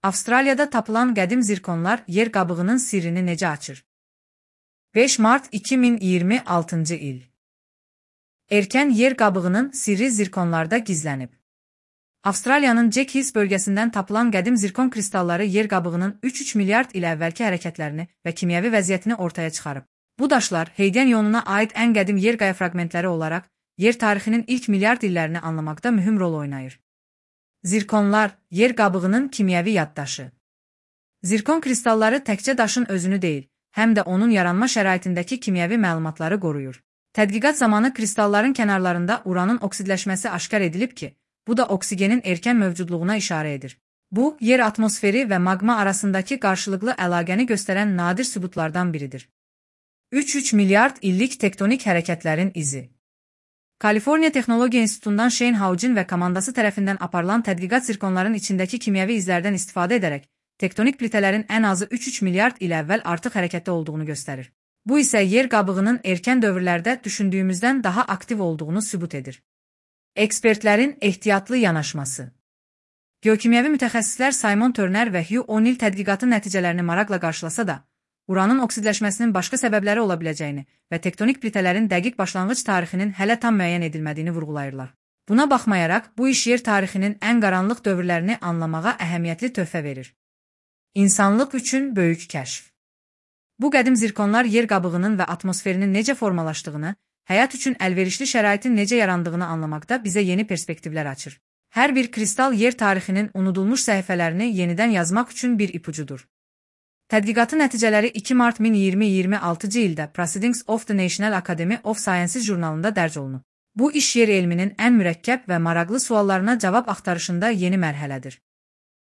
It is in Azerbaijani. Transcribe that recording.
Avstraliyada tapılan qədim zirkonlar yer qabığının sirrini necə açır? 5 mart 2026-cı il. Erkən yer qabığının sirri zirkonlarda gizlənib. Avstraliyanın Jack Hills bölgəsindən tapılan qədim zirkon kristalları yer qabığının 3-3 milyard il əvvəlki hərəkətlərini və kimyəvi vəziyyətini ortaya çıxarıb. Bu daşlar Heyden ionuna aid ən qədim yer qaya fraqmentləri olaraq yer tarixinin ilk milyard illərini anlamaqda mühüm rol oynayır. Zirkonlar, yer qabığının kimyəvi yaddaşı. Zirkon kristalları təkcə daşın özünü deyil, həm də onun yaranma şəraitindəki kimyəvi məlumatları qoruyur. Tədqiqat zamanı kristalların kənarlarında uranın oksidləşməsi aşkar edilib ki, bu da oksigenin erkən mövcudluğuna işarə edir. Bu, yer atmosferi və maqma arasındakı qarşılıqlı əlaqəni göstərən nadir sübutlardan biridir. 3-3 milyard illik tektonik hərəkətlərin izi. Kaliforniya Texnologiya İnstitutundan Shane Haugen və komandası tərəfindən aparılan tədqiqat zirkonların içindəki kimyəvi izlərdən istifadə edərək, tektonik plitələrin ən azı 3-3 milyard il əvvəl artıq hərəkətdə olduğunu göstərir. Bu isə yer qabığının erkən dövrlərdə düşündüyümüzdən daha aktiv olduğunu sübut edir. Ekspertlərin ehtiyatlı yanaşması. Geokimyəvi mütəxəssislər Simon Turner və Hugh O'Neill tədqiqatın nəticələrini maraqla qarşılasa da, uranın oksidləşməsinin başqa səbəbləri ola biləcəyini və tektonik plitələrin dəqiq başlanğıc tarixinin hələ tam müəyyən edilmədiyini vurğulayırlar. Buna baxmayaraq, bu iş yer tarixinin ən qaranlıq dövrlərini anlamağa əhəmiyyətli töhfə verir. İnsanlıq üçün böyük kəşf. Bu qədim zirkonlar yer qabığının və atmosferinin necə formalaşdığını, həyat üçün əlverişli şəraitin necə yarandığını anlamaqda bizə yeni perspektivlər açır. Hər bir kristal yer tarixinin unudulmuş səhifələrini yenidən yazmaq üçün bir ipucudur. Tədqiqatın nəticələri 2 mart 2026-cı ildə Proceedings of the National Academy of Sciences jurnalında dərc olunub. Bu iş yer elminin ən mürəkkəb və maraqlı suallarına cavab axtarışında yeni mərhələdir.